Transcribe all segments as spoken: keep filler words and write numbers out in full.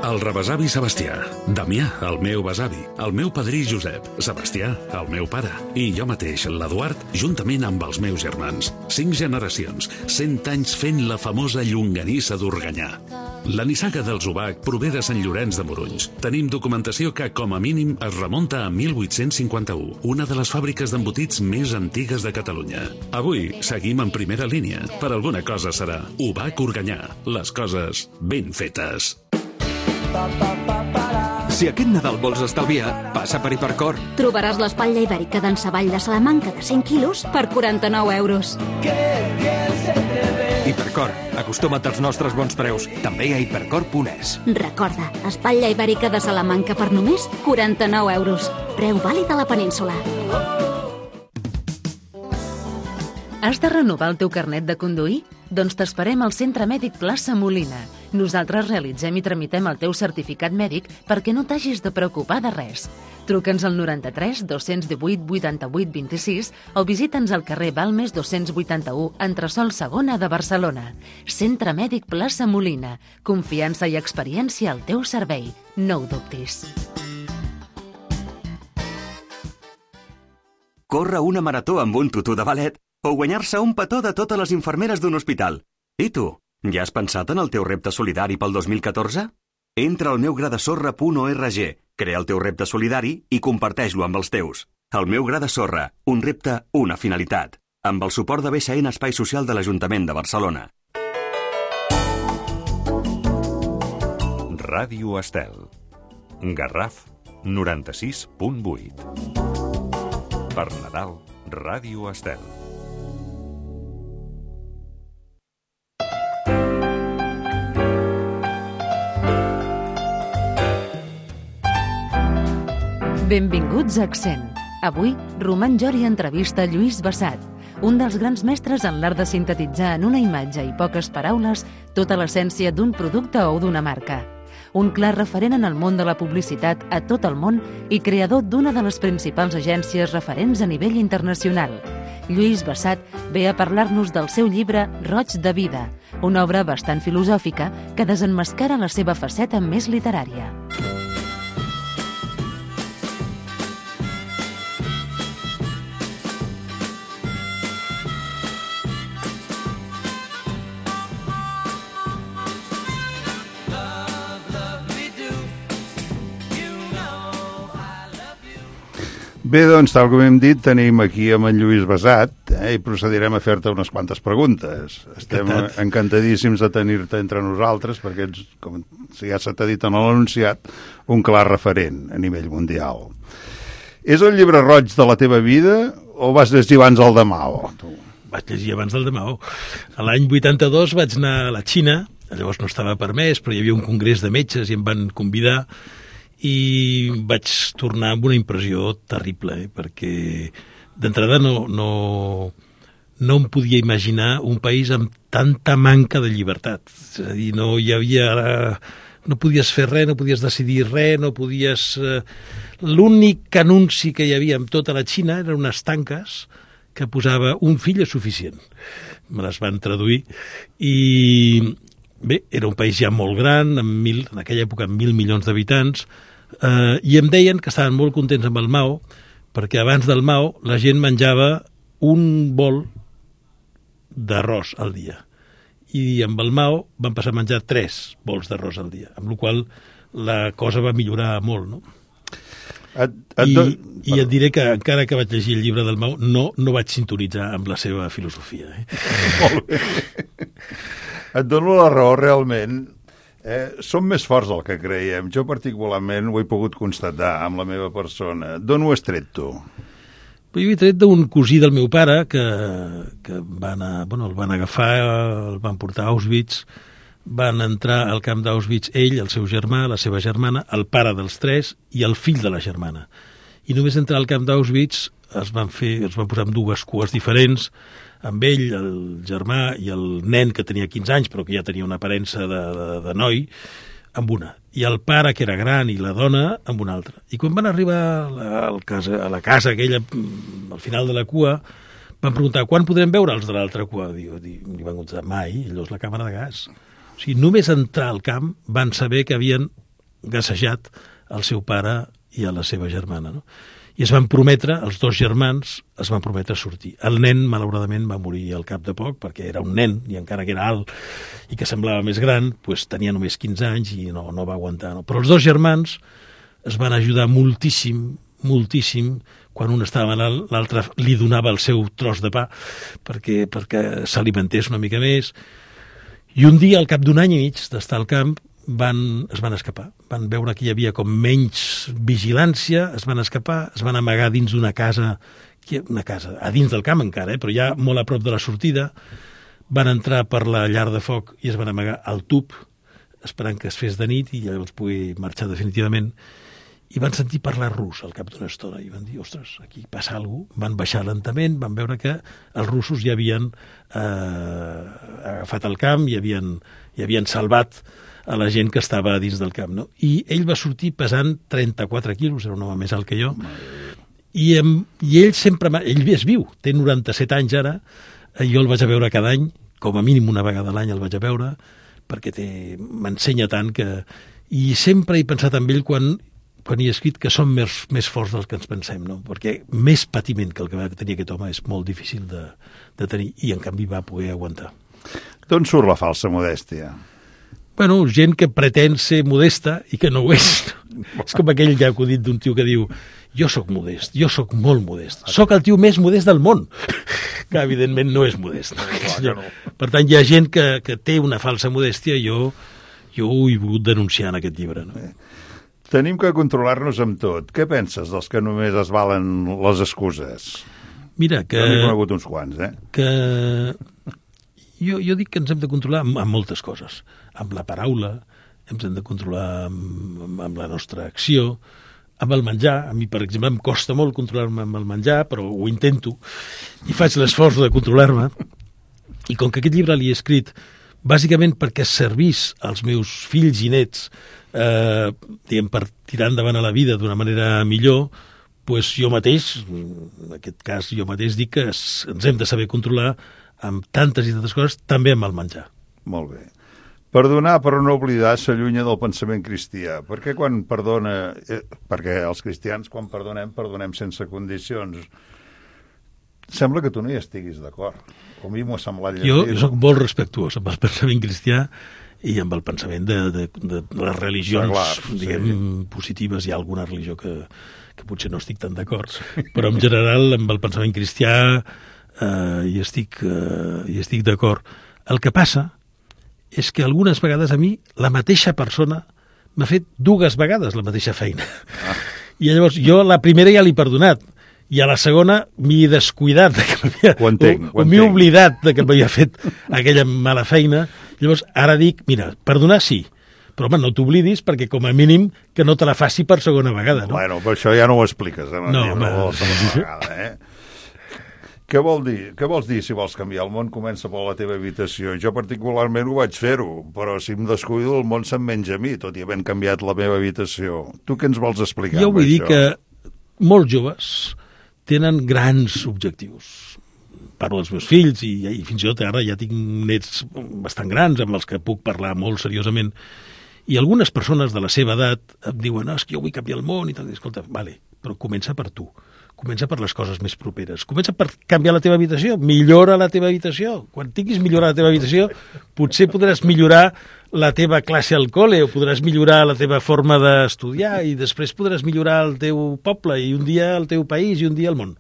El rebesavi Sebastià, Damià, el meu besavi, el meu padrí Josep, Sebastià, el meu pare, i jo mateix, l'Eduard, juntament amb els meus germans. Cinc generacions, cent anys fent la famosa llonganissa d'Organyà. La nissaga dels Obac prové de Sant Llorenç de Morunys. Tenim documentació que, com a mínim, es remunta a mil vuit-cents cinquanta-u, una de les fàbriques d'embotits més antigues de Catalunya. Avui seguim en primera línia. Per alguna cosa serà Obac Organyà. Les coses ben fetes. Si aquest Nadal vols estalviar, passa per Hipercor. Trobaràs l'espatlla ibèrica d'en Savall de Salamanca de cent quilos per quaranta-nou euros. Hipercor, acostuma't als nostres bons preus, també a hipercor punt es. Recorda, espatlla ibèrica de Salamanca per només quaranta-nou euros. Preu vàlid a la península. Has de renovar el teu carnet de conduir? Doncs t'esperem al Centre Mèdic Plaça Molina. Nosaltres realitzem i tramitem el teu certificat mèdic perquè no t'hagis de preocupar de res. Truca'ns al noranta-tres dos-cents divuit vuitanta-vuit vint-i-sis o visita'ns al carrer Balmes dos-cents vuitanta-u, entresòl segona de Barcelona. Centre Mèdic Plaça Molina. Confiança i experiència al teu servei. No ho dubtis. Córrer una marató amb un tutú de ballet o guanyar-se un petó de totes les infermeres d'un hospital. I tu, ja has pensat en el teu repte solidari pel dos mil catorze? Entra al meugradesorra punt org, crea el teu repte solidari i comparteix-lo amb els teus. El meu gra de sorra, un repte, una finalitat. Amb el suport de B S N Espai Social de l'Ajuntament de Barcelona. Ràdio Estel. Garraf noranta-sis punt vuit. Per Nadal, Ràdio Estel. Benvinguts a Accent. Avui, Roman Jori entrevista Lluís Bassat, un dels grans mestres en l'art de sintetitzar en una imatge i poques paraules tota l'essència d'un producte o d'una marca. Un clar referent en el món de la publicitat a tot el món i creador d'una de les principals agències referents a nivell internacional. Lluís Bassat ve a parlar-nos del seu llibre Roig de vida, una obra bastant filosòfica que desemmascara la seva faceta més literària. Bé, doncs, tal com hem dit, tenim aquí amb en Lluís Bassat eh, i procedirem a fer-te unes quantes preguntes. Estem Encantat. encantadíssims de tenir-te entre nosaltres perquè ets, com ja s'ha dit en l'anunciat, un clar referent a nivell mundial. És el llibre roig de la teva vida o vas llegir abans el de Mao? Tu? Vaig llegir abans del de Mao. A l'any vuitanta-dos vaig anar a la Xina, llavors no estava permès, però hi havia un congrés de metges i em van convidar i vaig tornar amb una impressió terrible, eh? Perquè d'entrada no, no, no em podia imaginar un país amb tanta manca de llibertat. És a dir, no hi havia... No podies fer res, no podies decidir res, no podies... Eh, l'únic anunci que hi havia en tota la Xina eren unes tanques que posava un fill és suficient. Me les van traduir i... Bé, era un país ja molt gran, amb mil, en aquella època amb mil milions d'habitants, eh, i em deien que estaven molt contents amb el Mao, perquè abans del Mao la gent menjava un bol d'arròs al dia. I amb el Mao van passar a menjar tres bols d'arròs al dia, amb la qual la cosa va millorar molt, no? Et, et I, do... I et diré que encara que vaig llegir el llibre del Mao, no, no vaig sintonitzar amb la seva filosofia. Eh? Molt bé. Et dono la raó, realment. Eh, som més forts del que creiem. Jo particularment ho he pogut constatar amb la meva persona. D'on ho has tret, tu? Jo he tret d'un cosí del meu pare que, que va anar, bueno, el van agafar, el van portar a Auschwitz, van entrar al camp d'Auschwitz ell, el seu germà, la seva germana, el pare dels tres i el fill de la germana. I només entrar al camp d'Auschwitz es van fer, es van posar amb dues cues diferents, amb ell, el germà i el nen que tenia quinze anys, però que ja tenia una aparença de, de, de noi, amb una. I el pare, que era gran, i la dona, amb una altra. I quan van arribar a la, a casa, a la casa aquella, al final de la cua, Van preguntar, quan podrem veure els de l'altra cua? Diu, li van contestar, mai, allò és la càmera de gas. O sigui, només entrar al camp van saber que havien gassejat el seu pare i a la seva germana, no? I es van prometre, els dos germans, es van prometre sortir. El nen, malauradament, va morir al cap de poc, perquè era un nen, i encara que era alt i que semblava més gran, doncs tenia només quinze anys i no, no va aguantar. No? Però els dos germans es van ajudar moltíssim, moltíssim, quan un estava malalt, l'altre li donava el seu tros de pa perquè, perquè s'alimentés una mica més. I un dia, al cap d'un any i mig d'estar al camp, van, es van escapar. Van veure que hi havia com menys vigilància, es van escapar, es van amagar dins d'una casa, una casa, a dins del camp encara, eh, però ja molt a prop de la sortida, van entrar per la llar de foc i es van amagar al tub, esperant que es fes de nit i llavors pugui marxar definitivament. I van sentir parlar rus al cap d'una estona i van dir, ostres, aquí passa alguna cosa. Van baixar lentament, van veure que els russos ja havien eh, agafat el camp i havien, i havien salvat a la gent que estava dins del camp. No? I ell va sortir pesant trenta-quatre quilos, era un home més alt que jo, i, i ell sempre... Ell és viu, té noranta-set anys ara, jo el vaig a veure cada any, com a mínim una vegada a l'any el vaig a veure, perquè m'ensenya tant que... I sempre he pensat en ell quan... quan hi he escrit que som més, més forts del que ens pensem, no? Perquè més patiment que el que va tenir aquest home és molt difícil de, de tenir, i en canvi va poder aguantar. D'on surt la falsa modèstia? Bueno, gent que pretén ser modesta i que no ho és. És com aquell ja acudit d'un tio que diu jo sóc modest, jo sóc molt modest, sóc el tio més modest del món, que evidentment no és modest. No? Per tant, hi ha gent que, que té una falsa modèstia i jo, jo ho he volgut denunciar en aquest llibre. No? Tenim que controlar-nos amb tot. Què penses dels que només es valen les excuses? Mira, que... Jo n'he conegut uns quants, eh? Que... Jo, jo dic que ens hem de controlar amb, amb moltes coses. Amb la paraula, ens hem de controlar amb, amb la nostra acció, amb el menjar. A mi, per exemple, em costa molt controlar-me amb el menjar, però ho intento i faig l'esforç de controlar-me. I com que aquest llibre l'he escrit bàsicament perquè servís als meus fills i nets eh, diguem, per tirar endavant a la vida d'una manera millor, doncs jo mateix, en aquest cas jo mateix dic que ens hem de saber controlar amb tantes i tantes coses, també amb el menjar. Molt bé. Perdonar però no oblidar s'allunya del pensament cristià. Per què quan perdona... Eh, perquè els cristians, quan perdonem, perdonem sense condicions. Sembla que tu no hi estiguis d'acord. Com a mi m'ho ha semblat llegir. Jo, jo soc molt respectuós amb el pensament cristià i amb el pensament de, de, de les religions, clar, diguem, sí. positives. Hi ha alguna religió que, que potser no estic tan d'acord, però en general amb el pensament cristià eh, hi estic, eh, hi estic d'acord. El que passa és que algunes vegades a mi la mateixa persona m'ha fet dues vegades la mateixa feina. Ah. I llavors jo la primera ja l'he perdonat, i a la segona m'he descuidat de que m'havia, ho entenc, o, o m'he oblidat de que m'havia fet aquella mala feina. Llavors ara dic, mira, perdonar sí, però home, no t'oblidis perquè com a mínim que no te la faci per segona vegada, no? Bueno, però això ja no ho expliques, eh? No, home. No vegada, eh? Què vol dir? Què vols dir si vols canviar el món? Comença per la teva habitació. Jo particularment ho vaig fer-ho, però si em descuido el món se'm menja a mi, tot i havent canviat la meva habitació. Tu què ens vols explicar? Jo vull dir això? Que molts joves tenen grans objectius. Parlo dels meus fills i, i fins i tot ara ja tinc nets bastant grans amb els que puc parlar molt seriosament. I algunes persones de la seva edat em diuen no, és que jo vull canviar el món i tal. I, escolta, vale, però comença per tu. Comença per les coses més properes. Comença per canviar la teva habitació. Millora la teva habitació. Quan tinguis millorar la teva habitació, potser podràs millorar la teva classe al col·le o podràs millorar la teva forma d'estudiar i després podràs millorar el teu poble i un dia el teu país i un dia el món.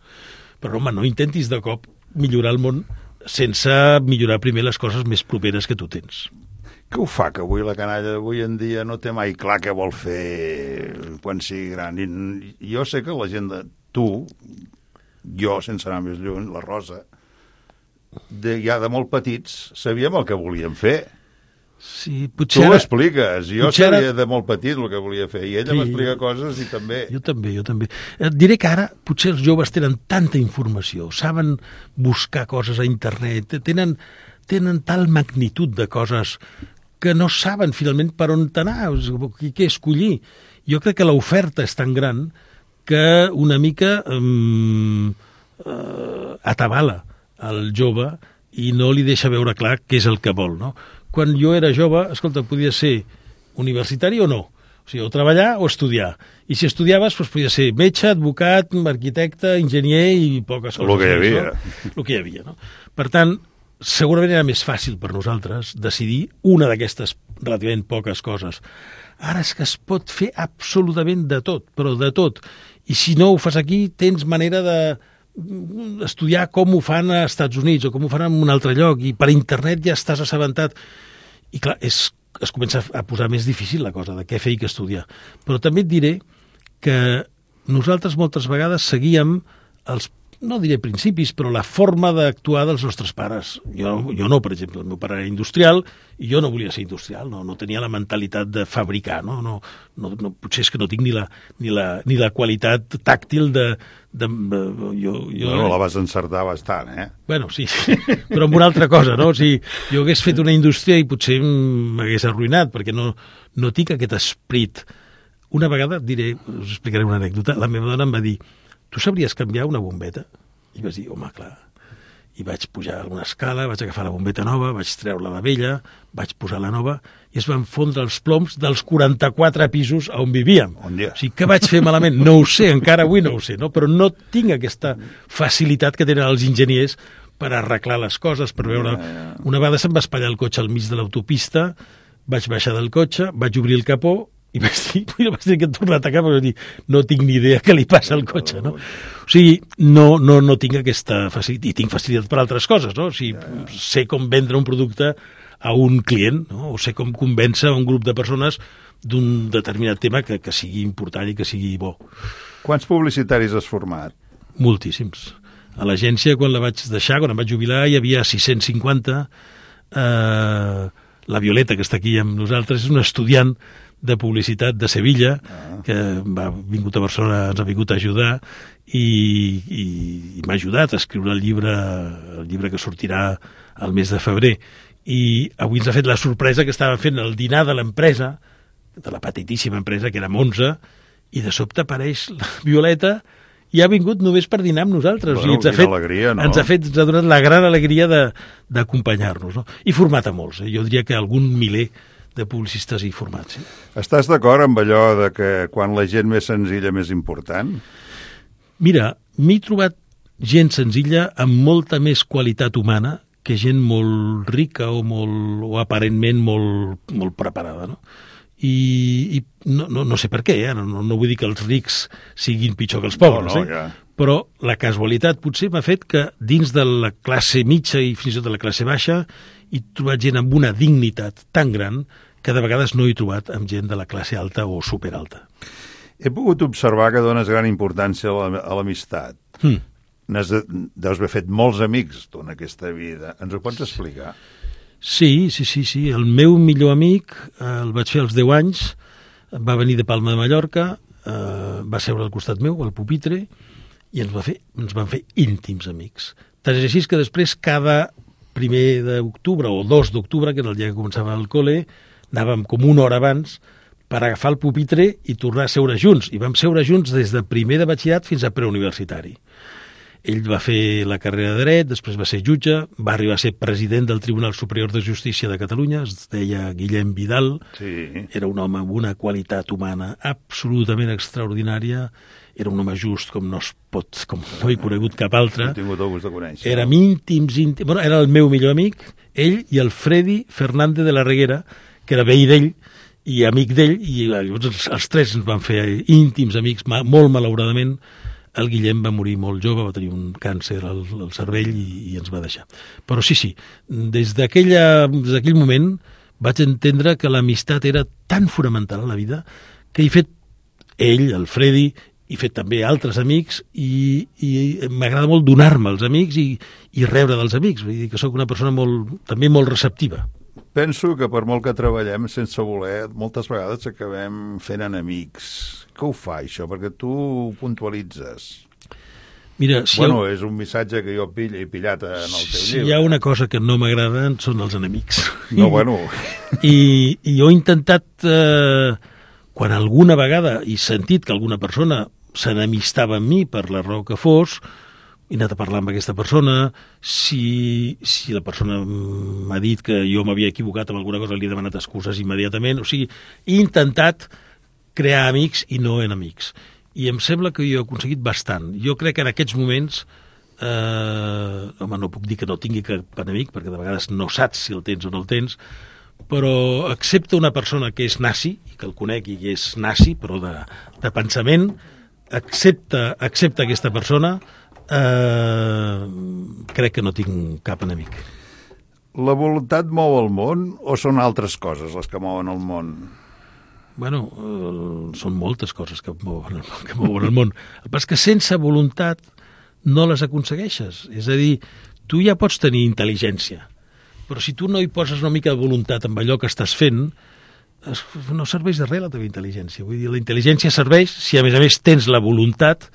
Però, home, no intentis de cop millorar el món sense millorar primer les coses més properes que tu tens. Què ho fa que avui la canalla d'avui en dia no té mai clar què vol fer quan sigui gran? I jo sé que la gent de tu, jo, sense anar més lluny, la Rosa, de, ja de molt petits, sabíem el que volíem fer. Sí, potser tu ara... l'expliques, jo potser sabia ara... de molt petit el que volia fer, i ella sí, m'explica coses i també... Jo també, jo també. Et diré que ara potser els joves tenen tanta informació, saben buscar coses a internet, tenen, tenen tal magnitud de coses que no saben finalment per on anar, què escollir. Jo crec que l'oferta és tan gran que una mica um, uh, atabala al jove i no li deixa veure clar què és el que vol, no? Quan jo era jove, escolta, podia ser universitari o no, o sigui, o treballar o estudiar. I si estudiaves, doncs podia ser metge, advocat, arquitecte, enginyer i poques coses. El que hi havia. No? El que hi havia, no? Per tant, segurament era més fàcil per nosaltres decidir una d'aquestes relativament poques coses. Ara és que es pot fer absolutament de tot, però de tot. I si no ho fas aquí, tens manera de estudiar com ho fan als Estats Units o com ho fan en un altre lloc, i per internet ja estàs assabentat. I clar, és, es comença a posar més difícil la cosa de què fer i què estudiar. Però també et diré que nosaltres moltes vegades seguíem els, no diré principis, però la forma d'actuar dels nostres pares. Jo, jo no, per exemple, el meu pare era industrial i jo no volia ser industrial, no, no tenia la mentalitat de fabricar, no? No, no, no, potser és que no tinc ni la, ni la, ni la qualitat tàctil de... de, de jo, jo, bueno, la vas encertar bastant, eh? Bueno, sí, però amb una altra cosa, no? O sigui, jo hagués fet una indústria i potser m'hagués arruïnat, perquè no, no tinc aquest esperit. Una vegada, diré, us explicaré una anècdota, la meva dona em va dir: tu sabries canviar una bombeta? I vaig dir, home, clar. I vaig pujar a una escala, vaig agafar la bombeta nova, vaig treure la vella, vaig posar la nova, i es van fondre els ploms dels quaranta-quatre pisos on vivíem. Bon dia. O sigui, què vaig fer malament? No ho sé, encara avui no ho sé, no? Però no tinc aquesta facilitat que tenen els enginyers per arreglar les coses, per veure... Una vegada se'm va espatllar el cotxe al mig de l'autopista, vaig baixar del cotxe, vaig obrir el capó, i vaig dir, vaig dir que he tornat a cap, vaig dir, no tinc ni idea què li passa al cotxe, no? O sigui, no, no, no tinc aquesta facilitat, i tinc facilitat per altres coses, no? O sigui, sé com vendre un producte a un client, no? O sé com convèncer un grup de persones d'un determinat tema que, que sigui important i que sigui bo. Quants publicitaris has format? Moltíssims. A l'agència, quan la vaig deixar, quan em vaig jubilar, hi havia sis-cents cinquanta. Eh, la Violeta, que està aquí amb nosaltres, és una estudiant de publicitat de Sevilla, ah. que va vingut a Barcelona, ens ha vingut a ajudar, i, i, i m'ha ajudat a escriure el llibre, el llibre que sortirà al mes de febrer. I avui ens ha fet la sorpresa que estàvem fent el dinar de l'empresa, de la petitíssima empresa, que érem onze, i de sobte apareix la Violeta i ha vingut només per dinar amb nosaltres. Bueno, I ens ha fet, alegria, no? ens ha fet, ens ha donat la gran alegria d'acompanyar-nos, no? I format a molts, eh? Jo diria que algun miler de publicistes i formats. Eh? Estàs d'acord amb allò de que quan la gent més senzilla més important? Mira, m'he trobat gent senzilla amb molta més qualitat humana que gent molt rica o, molt, o aparentment molt, molt preparada, no? I, i no, no, no sé per què, eh? no, no vull dir que els rics siguin pitjor que els pobres, no, no, eh? ja. Però la casualitat potser m'ha fet que dins de la classe mitja i fins i tot de la classe baixa he trobat gent amb una dignitat tan gran que de vegades no he trobat amb gent de la classe alta o superalta. He pogut observar que dones gran importància a l'amistat. Hmm. De, deus haver fet molts amics tu en aquesta vida. Ens ho pots explicar? Sí, sí, sí, sí. El meu millor amic eh, el vaig fer als deu anys, va venir de Palma de Mallorca, eh, va seure al costat meu, al pupitre, i ens, va fer, ens van fer íntims amics. Tant és així que després, cada primer d'octubre o dos d'octubre, que era el dia que començava el col·le, anàvem com una hora abans per agafar el pupitre i tornar a seure junts. I vam seure junts des de primer de batxillerat fins a preuniversitari. Ell va fer la carrera de dret, després va ser jutge, va arribar a ser president del Tribunal Superior de Justícia de Catalunya, es deia Guillem Vidal, sí. Era un home amb una qualitat humana absolutament extraordinària, era un home just com no es pot, com no he conegut cap altre. He tingut el gust de conèixer. Érem íntims, íntims, bueno, era el meu millor amic, ell i el Freddy Fernández de la Reguera, que era veí d'ell i amic d'ell, i llavors els, els tres ens van fer íntims amics, molt malauradament. El Guillem va morir molt jove, va tenir un càncer al, al cervell i, i ens va deixar. Però sí, sí, des d'aquell moment vaig entendre que l'amistat era tan fonamental a la vida que he fet ell, el Freddy, he fet també altres amics i, i m'agrada molt donar-me als amics i, i rebre dels amics. Vull dir que sóc una persona molt, també molt receptiva. Penso que per molt que treballem sense voler, moltes vegades acabem fent enemics. Què ho fa, això? Perquè tu puntualitzes. Mira, si bueno, ha... és un missatge que jo pillo, he pillat en el teu si llibre. Si hi ha una cosa que no m'agrada són els enemics. No, bueno... I, i jo he intentat, eh, quan alguna vegada he sentit que alguna persona s'enemistava amb mi per la raó que fos, he anat a parlar amb aquesta persona, si, si la persona m'ha dit que jo m'havia equivocat amb alguna cosa, li he demanat excuses immediatament, o sigui, he intentat crear amics i no enemics. I em sembla que jo he aconseguit bastant. Jo crec que en aquests moments, eh, home, no puc dir que no tingui cap enemic, perquè de vegades no saps si el tens o no el tens, però accepta una persona que és nazi, i que el conec i que és nazi, però de, de pensament, accepta, accepta aquesta persona, eh, crec que no tinc cap enemic. La voluntat mou el món o són altres coses les que mouen el món? Bueno, eh, són moltes coses que mouen, que mouen el món. El que passa és que sense voluntat no les aconsegueixes. És a dir, tu ja pots tenir intel·ligència, però si tu no hi poses una mica de voluntat amb allò que estàs fent, no serveix de res la teva intel·ligència. Vull dir, la intel·ligència serveix si a més a més tens la voluntat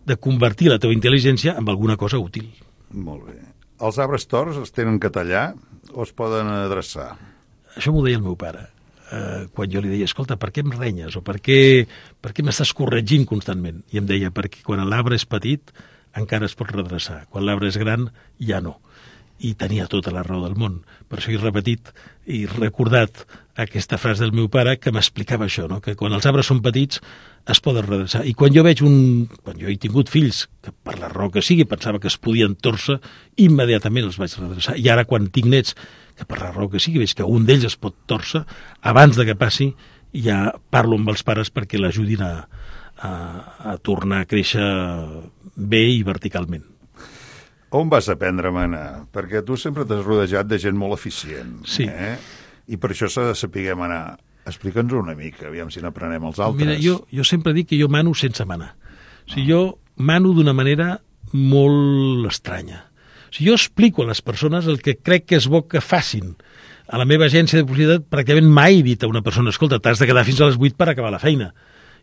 de convertir la teva intel·ligència en alguna cosa útil. Molt bé. Els arbres torts es tenen que tallar o es poden adreçar? Això m'ho deia el meu pare. Eh, quan jo li deia, escolta, per què em renyes? O per què, per què m'estàs corregint constantment? I em deia, perquè quan l'arbre és petit encara es pot redreçar. Quan l'arbre és gran, ja no. I tenia tota la raó del món. Per això he repetit i recordat aquesta frase del meu pare que m'explicava això, no? Que quan els arbres són petits es poden redreçar. I quan jo veig un... Quan jo he tingut fills, que per la raó que sigui pensava que es podien torcer, immediatament els vaig redreçar. I ara quan tinc nets, que per la raó que sigui, veig que un d'ells es pot torcer, abans de que passi, ja parlo amb els pares perquè l'ajudin a, a, a tornar a créixer bé i verticalment. On vas aprendre a manar? Perquè tu sempre t'has rodejat de gent molt eficient. Sí. Eh? I per això s'ha de saber manar. Explica'ns una mica, aviam si n'aprenem els altres. Mira, jo, jo sempre dic que jo mano sense manar. O sigui, jo mano d'una manera molt estranya. O sigui, jo explico a les persones el que crec que és bo que facin. A la meva agència de publicitat pràcticament mai he dit a una persona, escolta, t'has de quedar fins a les vuit per acabar la feina.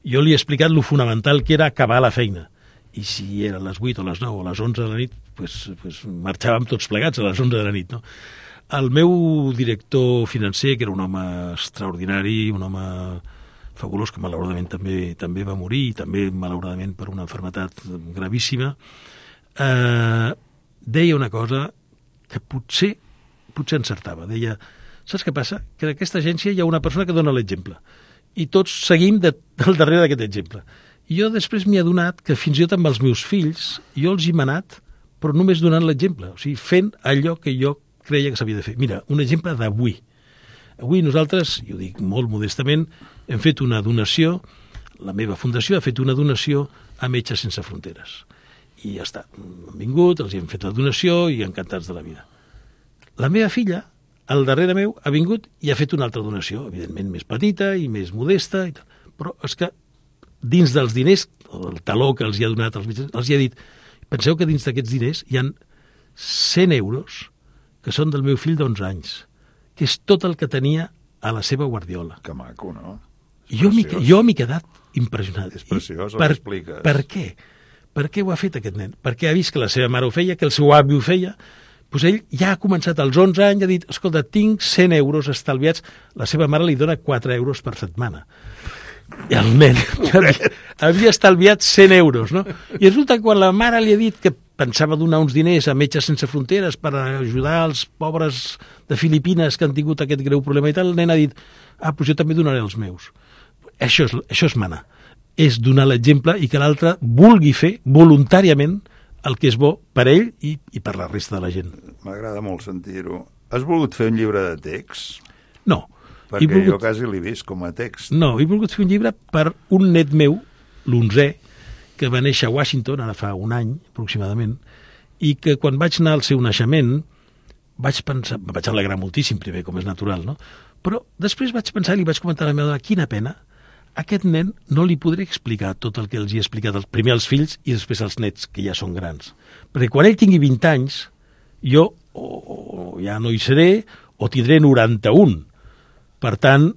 Jo li he explicat lo fonamental que era acabar la feina. I si era a les vuit o a les nou o a les onze de la nit, pues, pues marxàvem tots plegats a les onze de la nit, no? El meu director financer, que era un home extraordinari, un home fabulós, que malauradament també també va morir, també malauradament per una malaltia gravíssima, eh, deia una cosa que potser, potser encertava. Deia, saps què passa? Que en aquesta agència hi ha una persona que dona l'exemple i tots seguim de, del darrere d'aquest exemple. I jo després m'he adonat que fins i tot amb els meus fills jo els he manat, però només donant l'exemple, o sigui, fent allò que jo creia que s'havia de fer. Mira, un exemple d'avui. Avui nosaltres, jo dic molt modestament, hem fet una donació, la meva fundació ha fet una donació a Metges Sense Fronteres. I ja està, han vingut, els hi hem fet la donació i encantats de la vida. La meva filla, al darrere meu, ha vingut i ha fet una altra donació, evidentment més petita i més modesta, i tal. Però és que dins dels diners, el taló que els hi ha donat als metges, els hi ha dit, penseu que dins d'aquests diners hi ha cent euros que són del meu fill d'onze anys, que és tot el que tenia a la seva guardiola. Que maco, no? I jo m'hi jo m'he quedat impressionat. És preciós, per, ho expliques. Per què? Per què ho ha fet aquest nen? Perquè ha vist que la seva mare ho feia, que el seu avi ho feia, doncs ell ja ha començat als onze anys, ha dit, escolta, tinc cent euros estalviats, la seva mare li dona quatre euros per setmana. I el nen havia, havia estalviat cent euros, no? I resulta que quan la mare li ha dit que pensava donar uns diners a Metges Sense Fronteres per ajudar els pobres de Filipines que han tingut aquest greu problema i tal, el nen ha dit, ah, doncs jo també donaré els meus. Això és, això és manar. És donar l'exemple i que l'altre vulgui fer voluntàriament el que és bo per ell i, i per la resta de la gent. M'agrada molt sentir-ho. Has volgut fer un llibre de text? No. Perquè volgut... jo quasi l'he vist com a text. No, he volgut fer un llibre per un net meu, l'onzè, que va néixer a Washington, ara fa un any aproximadament, i que quan vaig anar al seu naixement vaig pensar, em vaig alegrar moltíssim primer, com és natural, no? Però després vaig pensar i li vaig comentar a la meva dona, quina pena, aquest nen no li podré explicar tot el que els he explicat primer als fills i després als nets, que ja són grans. Perquè quan ell tingui vint anys, jo o, o ja no hi seré o tindré noranta-un. Per tant,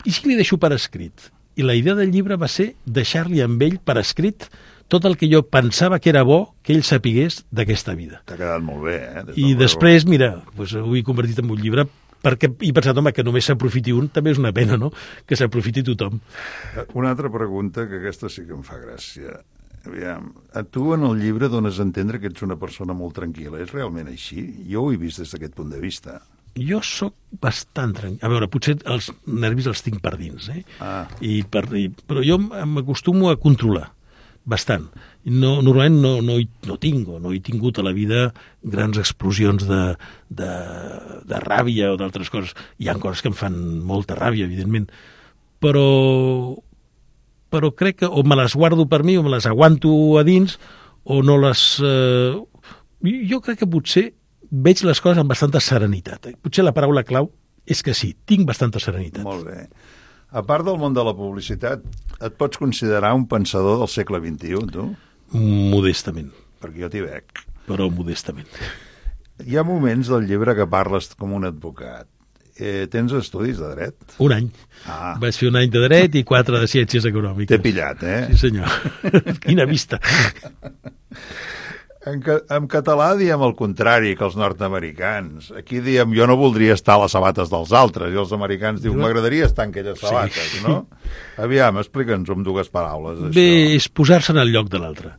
i si li deixo per escrit? I la idea del llibre va ser deixar-li amb ell per escrit tot el que jo pensava que era bo que ell sapigués d'aquesta vida. T'ha quedat molt bé, eh? I després, mira, doncs ho he convertit en un llibre perquè he pensat, home, que només s'aprofiti un, també és una pena, no?, que s'aprofiti tothom. Una altra pregunta, que aquesta sí que em fa gràcia. Aviam, a tu en el llibre dones a entendre que ets una persona molt tranquil·la. És realment així? Jo ho he vist des d'aquest punt de vista. Jo sóc bastant tranquil. A veure, potser els nervis els tinc per dins, eh? Ah. I per, i, però jo m'acostumo a controlar bastant. No, normalment no, no, hi, no tinc, o no he tingut a la vida grans explosions de, de, de ràbia o d'altres coses. Hi ha coses que em fan molta ràbia, evidentment, però, però crec que o me les guardo per mi o me les aguanto a dins o no les... Eh, jo crec que potser veig les coses amb bastanta serenitat. Potser la paraula clau és que sí, tinc bastanta serenitat. Molt bé. A part del món de la publicitat, et pots considerar un pensador del segle vint-i-u, tu? Modestament. Perquè jo t'hi veig. Però modestament. Hi ha moments del llibre que parles com un advocat. Eh, tens estudis de dret? Un any. Ah. Vaig fer un any de dret i quatre de ciències econòmiques. T'he pillat, eh? Sí, senyor. Quina vista. En, ca en català diem el contrari que els nord-americans. Aquí diem, jo no voldria estar a les sabates dels altres, i els americans diuen, m'agradaria estar en aquelles sabates, sí. No? Aviam, explica'ns amb dues paraules, això. Bé, és posar-se en el lloc de l'altre.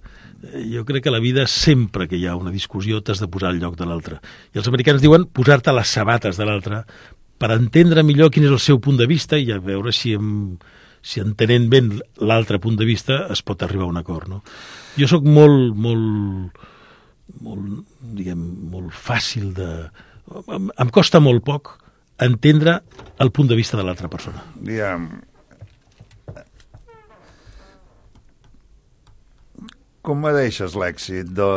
Jo crec que a la vida, sempre que hi ha una discussió, t'has de posar al lloc de l'altre. I els americans diuen posar-te a les sabates de l'altre per entendre millor quin és el seu punt de vista i a veure si, em, si entenent ben l'altre punt de vista es pot arribar a un acord, no? Jo sóc molt, molt... molt, diguem, molt fàcil de... Em, em costa molt poc entendre el punt de vista de l'altra persona. Diguem... Com me deixes l'èxit de,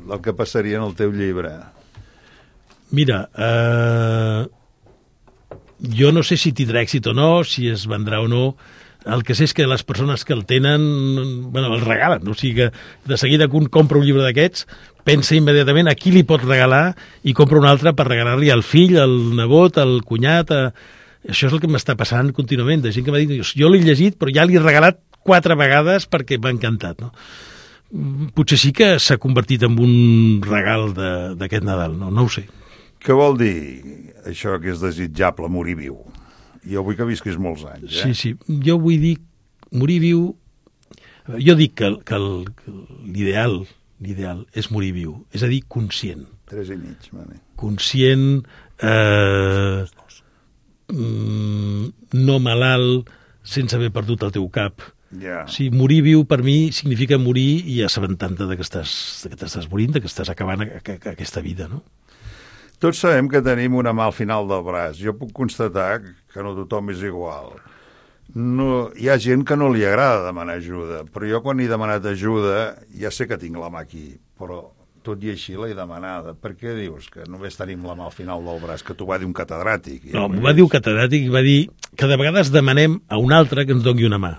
del que passaria en el teu llibre? Mira, eh, jo no sé si tindrà èxit o no, si es vendrà o no. El que sé és que les persones que el tenen, bueno, el regalen. O sigui que de seguida que un compra un llibre d'aquests, pensa immediatament a qui li pot regalar i compra un altre per regalar-li al fill, al nebot, al cunyat. A... Això és el que m'està passant contínuament, de gent que m'ha dit, jo l'he llegit però ja l'he regalat quatre vegades perquè m'ha encantat, no? Potser sí que s'ha convertit en un regal d'aquest Nadal, no? No ho sé. Què vol dir això que és desitjable morir viu? Jo vull que visquis molts anys, eh? Sí, sí. Jo vull dir morir viu... Jo dic que, que l'ideal l'ideal és morir viu, és a dir, conscient. Tres i mig, vale. Conscient, eh, no malalt, sense haver perdut el teu cap. Yeah. O sigui, morir viu per mi significa morir i assabentant-te de que estàs, de que t'estàs morint, de que estàs acabant a, a, a aquesta vida, no? Tots sabem que tenim una mà al final del braç. Jo puc constatar que no tothom és igual. No, hi ha gent que no li agrada demanar ajuda, però jo quan he demanat ajuda ja sé que tinc la mà aquí, però tot i així l'he demanada. Per què dius que només tenim la mà al final del braç? Que t'ho va dir un catedràtic. No, m'ho va dir un catedràtic i va dir que de vegades demanem a un altre que ens doni una mà.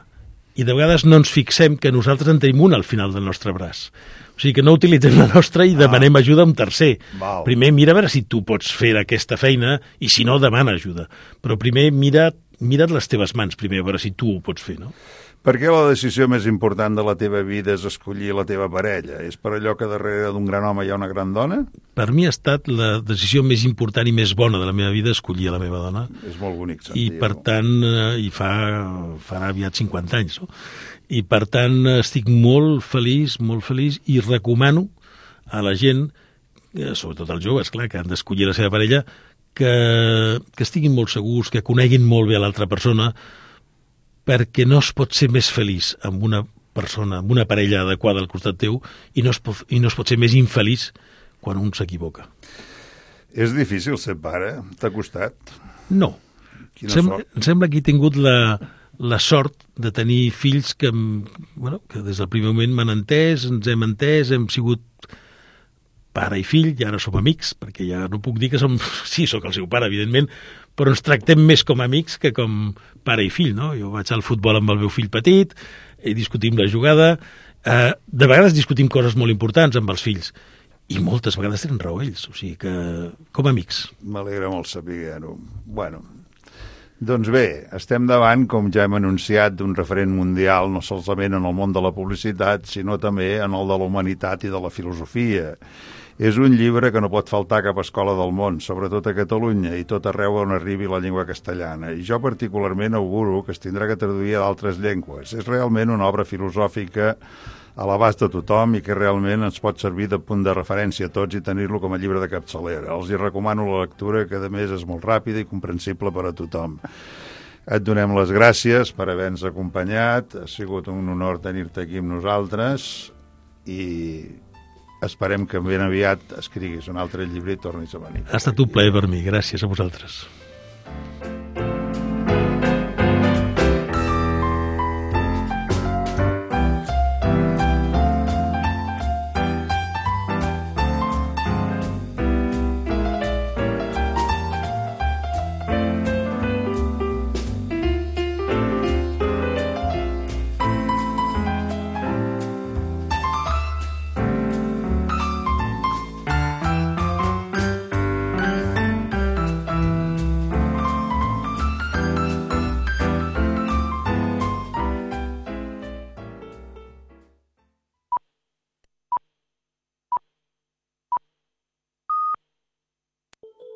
I de vegades no ens fixem que nosaltres en tenim una al final del nostre braç. O sigui que no utilitzem la nostra i demanem ah. ajuda a un tercer. Val. Primer mira a veure si tu pots fer aquesta feina i si no, demana ajuda. Però primer mira, mira't les teves mans primer a veure si tu ho pots fer, no? Per què la decisió més important de la teva vida és escollir la teva parella? És per allò que darrere d'un gran home hi ha una gran dona? Per mi ha estat la decisió més important i més bona de la meva vida escollir a la meva dona. És molt bonic sentir-ho. I per tant, i fa, farà aviat cinquanta anys, no? I per tant estic molt feliç, molt feliç i recomano a la gent, sobretot als joves, clar, que han d'escollir la seva parella, que, que estiguin molt segurs, que coneguin molt bé a l'altra persona, perquè no es pot ser més feliç amb una persona, amb una parella adequada al costat teu i no es pot, i no es pot ser més infeliç quan un s'equivoca. És difícil ser pare? T'ha costat? No. Quina Sem sort. em sembla que he tingut la, la sort de tenir fills que, bueno, que des del primer moment m'han entès, ens hem entès, hem sigut pare i fill, i ara som amics, perquè ja no puc dir que som... Sí, sóc el seu pare, evidentment, però ens tractem més com amics que com pare i fill, no? Jo vaig al futbol amb el meu fill petit, i discutim la jugada, eh, de vegades discutim coses molt importants amb els fills, i moltes vegades tenen raó ells, o sigui que com a amics. M'alegra molt saber-ho. Bueno, doncs bé, estem davant, com ja hem anunciat, d'un referent mundial, no solament en el món de la publicitat, sinó també en el de la humanitat i de la filosofia. És un llibre que no pot faltar a cap escola del món, sobretot a Catalunya, i tot arreu on arribi la llengua castellana. I jo particularment auguro que es tindrà que traduir a d'altres llengües. És realment una obra filosòfica a l'abast de tothom i que realment ens pot servir de punt de referència a tots i tenir-lo com a llibre de capçalera. Els hi recomano la lectura, que a més és molt ràpida i comprensible per a tothom. Et donem les gràcies per haver-nos acompanyat, ha sigut un honor tenir-te aquí amb nosaltres i esperem que ben aviat escriguis un altre llibre i tornis a venir. Ha estat un plaer per mi, gràcies a vosaltres.